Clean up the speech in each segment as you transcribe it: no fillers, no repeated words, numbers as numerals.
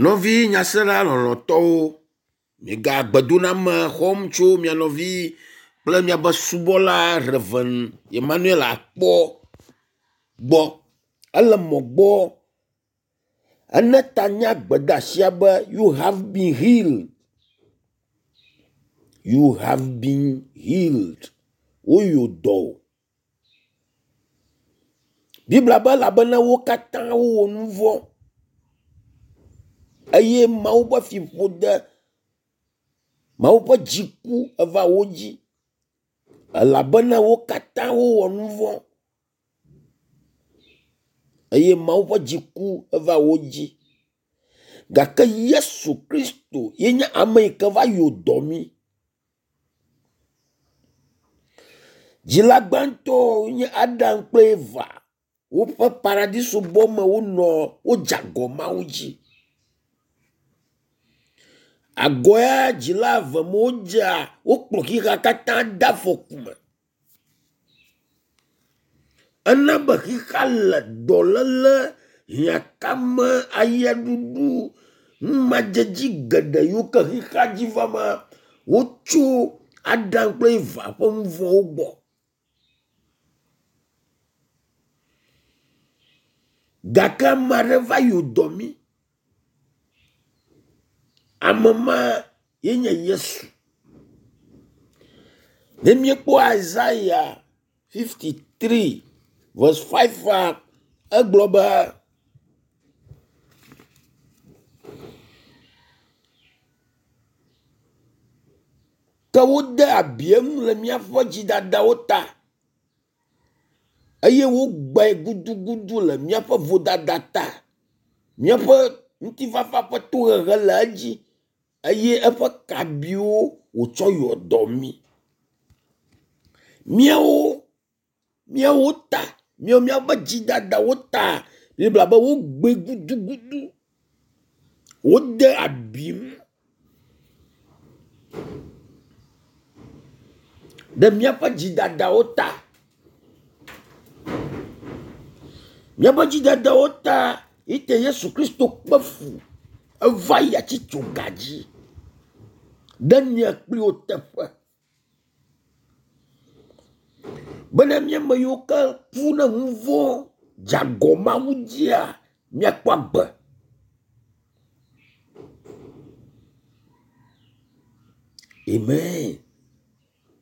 Nɔvi nyasela lɔlɔ̃tɔwo, miega gbedoname xɔm tso mia nɔvi kple miaƒe subɔla Rev. Emmanuel Akpɔ gbɔ. Ele mɔ gbɔ ene ta na gbedeasia be you have been healed. You have been healed. Woyo dɔ wò. Biblia be elabena wo katã wowɔ nu vɔ̃ eye Mawu ƒe fiƒode, Mawu ƒe dziku eva wo dzi elabena wo katã wowɔ nu vɔ̃ eye Mawu ƒe dziku eva wo dzi. Gake Yesu Kristo ye nye ame yi ke va yɔ dɔ mí. Dzila gbãtɔ nye Adam kple Eva woƒe paradiso bɔ me wonɔ wodze agɔ Mawu dzi. Agɔ ya dzila eve me wodzea wokplɔ xexea katã de afɔku me. Ena be xexea le dɔléle, hiãkame, ayeɖuɖu, numadzedzi geɖe yiwo ke xexea dzi va ma wotso Adam kple Eva ƒe nu vɔ̃wo gbɔ. Gake ame aɖe va yɔ dɔ mí. Ame ma ye nye Yesu. Ne míekpɔ Isaiah 53 verse 5 egblɔ be ke wode abi eŋu le míaƒe dzidadawo ta eye wogbãe gudugudu le míaƒe vodada ta. Míaƒe ŋutifafa ƒe tohehe le edzi eye eƒe kabiwo wòtsɔ yɔ dɔ mí. Míawo míawo ta, míawo míaƒe dzidadawo ta Biblia be wogbãe gudugudu. Wode abim ɖe míaƒe dzidadawo ta. Míaƒe dzidadawo ta yi te Yesu Kristo kpe fu eva yi atsitsoga dzi ɖe mia kpli wò teƒe. Bena mía ame yiwo ke ku ɖe nu vɔ̃ dze agɔ Mawu dzia, míakpɔ agbe. Amen.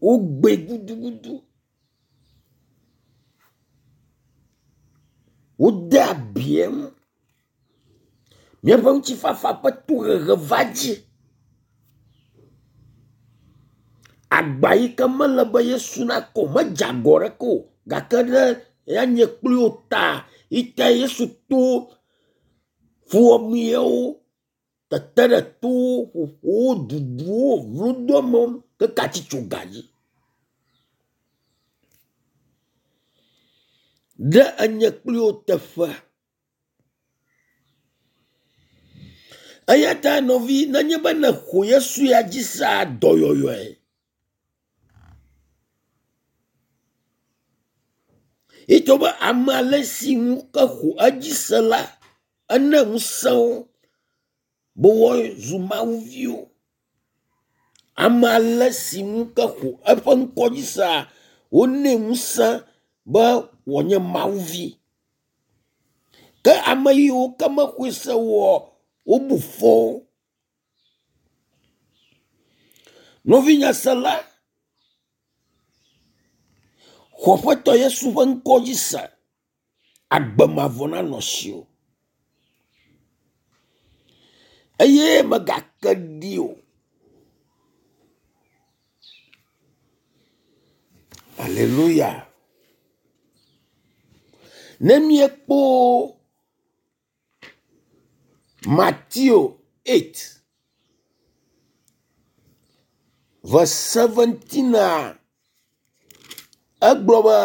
Wogbee gudugudu. Wode abi eŋu. Míaƒe ŋutifafa ƒe tohehe va dzi. Agba yi ke mele be Yesu nakɔ o, medze agɔ ɖeke o gake ɖe ya nye kpli wò ta yi ta Yesu to fuwɔameawo, tete ɖe towo, ƒoƒowo, duduwo, vlodoamewo keke atsitsoga dzi. Ɖe enye kpli wò teƒe. Eya ta nɔvi nenye be nèxɔ Yesu ya dzi sea, dɔyɔyɔe. Etsɔ be ame ale si ŋu ke xɔ edzi se la, ene ŋusẽ wo be woazu mawuviwo. Ame ale si ŋu ke xɔ eƒe ŋkɔ dzi sea, wonɛ ŋusẽ be wòanye mawuvi. Ke ame yiwo ke mexɔe se oa, wobu fɔ wo. Nɔvi nyasela, xɔ Aƒetɔ Yesu ƒe ŋkɔ dzi se. Agbe mavɔ nanɔ asiwò. Eye mègake ɖi o. Aleluya. Ne míekpɔ Mateo 8 verse 17 a, egblɔ be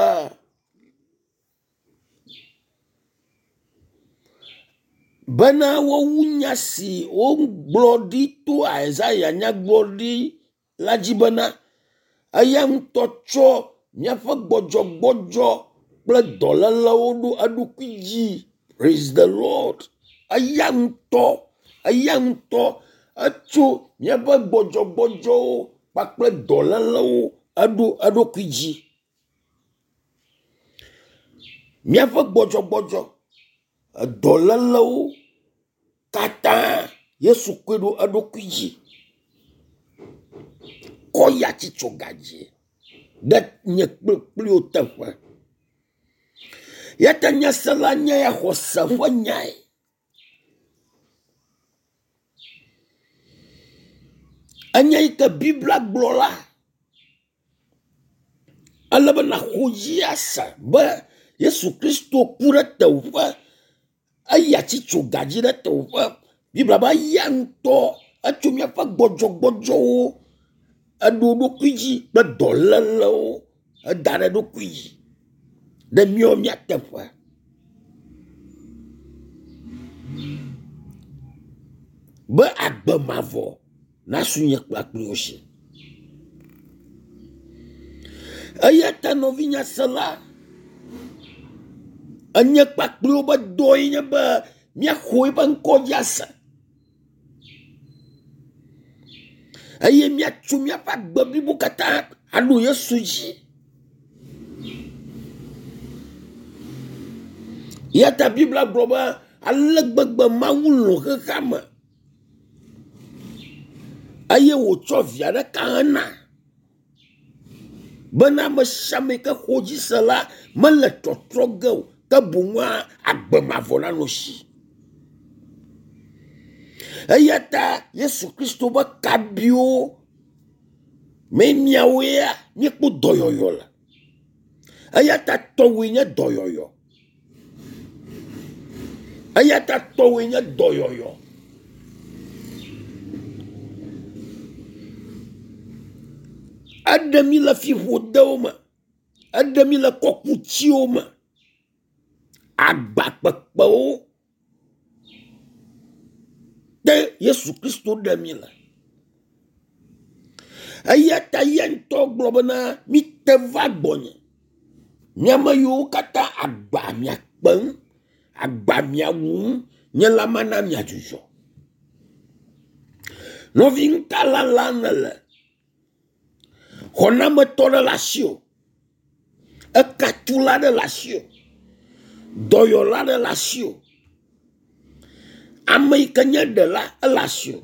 bena wowu nya si wogblɔ ɖi to Isaya nyagblɔɖi la dzi bena eya ŋutɔ tsɔ míaƒe gbɔdzɔgbɔdzɔ kple dɔlélewo ɖo eɖokui dzi. Praise the Lord. Eya ŋutɔ Eya ŋutɔ etso míaƒe gbɔdzɔgbɔdzɔwo kpakple dɔlélewo eɖo eɖokui dzi. Míaƒe gbɔdzɔgbɔdzɔ, edɔlélewo katã Yesu koe ɖo eɖokui dzi kɔ yi atitsoga dzi ɖe nye kple kpliwò teƒe. Ya ta nyasela nye ya xɔse ƒe nyae. Enya yi ke Biblia gblɔ la, ele be nàxɔ dzi ase be Yesu Kristo ku ɖe tewòƒe, eyi atitsoga dzi ɖe tewòƒe. Biblia be eya ŋutɔ etso míaƒe gbɔdzɔgbɔdzɔwo, eɖo eɖokui dzi kple dɔlélewo eda ɖe eɖokui dzi ɖe míawo mía teƒe. Be agbe mavɔ nasu nye kple wò si. Eya ta nɔvinyasela, enye kpakple wobe dɔe nye be míaxɔ eƒe ŋkɔ dzi ase eye míatso míaƒe agbe blibo katã aɖo Yesu dzi. Eya ta Biblia gblɔ be ale gbegbe Mawu lɔ̃ xexea me eye wòtsɔ via ɖeka hena bena ame sia ame yi ke xɔ dzi se la mele tɔtrɔ ge o ke boŋua agbe mavɔ nanɔ esi. Eya ta Yesu Kristo be kabiwo mee miawo ya míekpɔ dɔyɔyɔ le. Eya ta tɔwòe nye dɔyɔyɔ. Eya ta tɔwòe nye dɔyɔyɔ. Eɖe mí le fiƒodewo me. Eɖe mí le kɔkutsiwo me. Agba kpekpewo te Yesu Kristo ɖe mí le. Eya ta eya ŋutɔ gblɔ bena mite va gbɔnye. Mi ame yiwo katã agba mia kpem, agba mia wum, nye la mana miadzudzɔ. Nɔvi ŋutalã la nèle. Xɔnametɔ ɖe le asiwò. Ekatula ɖe le asiwò. Dɔyɔla ɖe le asiwò. Ame yi ke nye ɖela ele asiwò.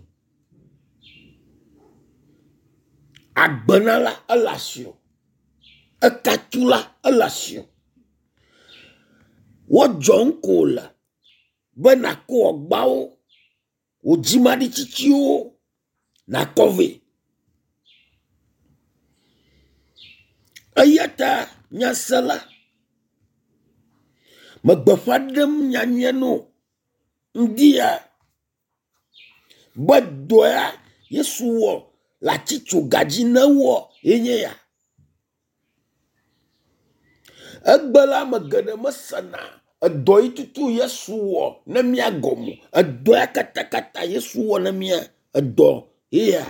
Agbenala ele asiwò. Ekatula ele asiwò. Wodzɔ ŋko le be nàkɔ agbawo, wò dzimaɖitsitsiwo nàkɔ vɛ. Eya ta nyasela, me gbeƒã ɖem nyanyuia na wò ŋdi ya be dɔ ya Yesu wɔ le atitsoga dzi ne wɔ ye nye ya. Egbe la ame geɖe mesena edɔ yi tutu Yesu wɔ ne mía gɔme o. Edɔ ya katakata Yesu wɔ ne mía edɔ ye ya.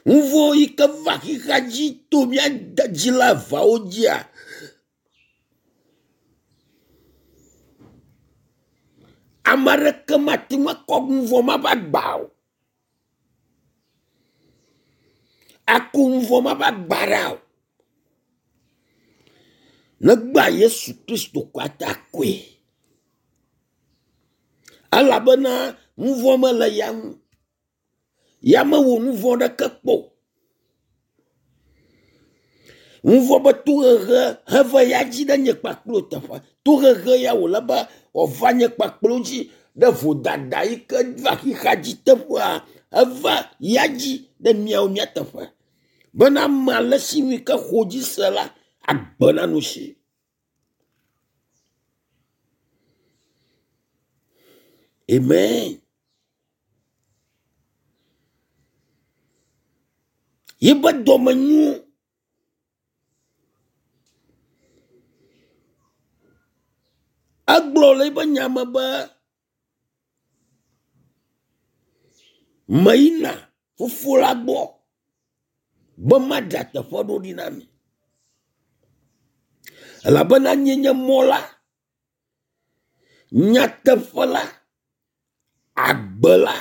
Nu vɔ̃ yi ke va xexea dzi to mía dzila eveawo dzia, ame aɖeke mate ŋu akɔ nu vɔ̃ ma ƒe agba o. Ako nu vɔ̃ ma ƒe agba ɖa o. Negba Yesu Kristo ko ate akɔe. Elabena nu vɔ̃ mele ya ŋu. Ya mewɔ nu vɔ̃ ɖeke kpɔ o. Nu vɔ̃ be tohehe heva ya dzi ɖe nye kpakple wò teƒe. Tohehe ya wòle be wòava nye kpakple wò dzi ɖe vodada yi ke va xexea dzi teƒea eva ya dzi ɖe míawo mía teƒe. Bena ame ale si nu yi ke xɔ dzi se la, agbe nanɔ esi. Amen. Yiƒe dɔme nyo. Egblɔ le eƒe nya me be meyina fofo la gbɔ be madzra teƒe ɖo ɖi na mi. Elabena nye nye mɔ la. Nyateƒe la, agbe la,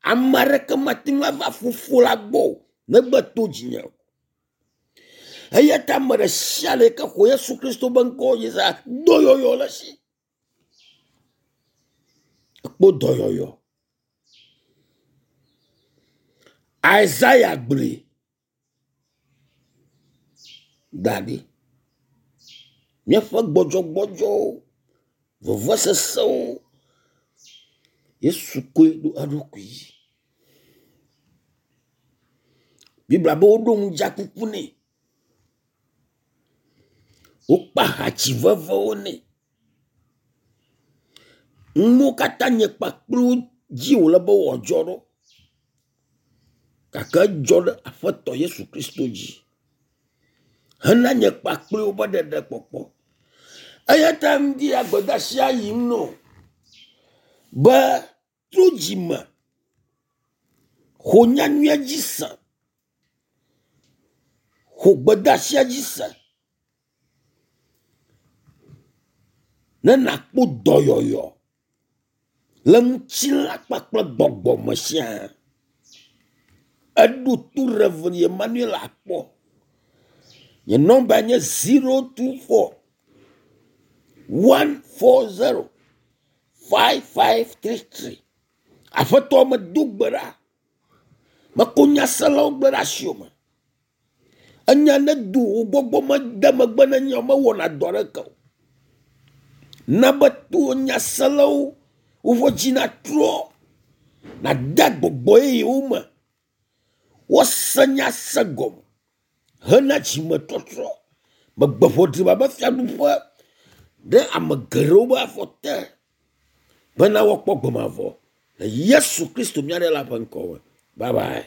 ame aɖeke mate ŋu ava Fofo la gbɔ o negbe to dzinye o. Eya ta ame ɖe sia ɖe ke xɔ Yesu Kristo be ŋkɔ dzi sea, dɔyɔyɔ le esi. Ekpɔ dɔyɔyɔ. Isaiah gblɔe da ɖi. Míaƒe gbɔdzɔgbɔdzɔwo, vevesesewo, Yesu koe ɖo eɖokui dzi. Biblia be woɖo ŋudzakuku nɛ. Wokpa hatsi vevewo nɛ. Nuwo katã nye kpakple dzi wòle be wòadzɔ ɖo. Gake edzɔ ɖe Aƒetɔ Yesu Kristo dzi hena nye kpakple woƒe ɖeɖekpɔkpɔ. Eya ta ŋdi ya gbedeasia yim nɔ be tso dzime xɔ nyanyuia dzi se, xɔ gbedeasia dzi se ne nàkpɔ dɔyɔyɔ le ŋutilã kpakple gbɔgbɔ me siaa. Eɖo to Rev. Emmanuel akpɔ. Nye nɔmba nye 024 140 5533. Aƒetɔ medo gbe ɖa. Meko nyaselawo gblẽ ɖe asiwò me. Enya ne do wò gbɔgbɔ mede megbe ne nye mewɔna dɔ aɖeke o. Na be to nyaselawo woƒe dzi natrɔ nade gbɔgbɔ yeyewo me. Woase nya se gɔme hena dzimetɔtrɔ. Megbe ʋɔdriba be fiaɖuƒe ɖe ame geɖewo be afɔ te bena woakpɔ gbe mavɔ le Yesu Kristo mía Ɖela ƒe ŋkɔ me. Bye bye.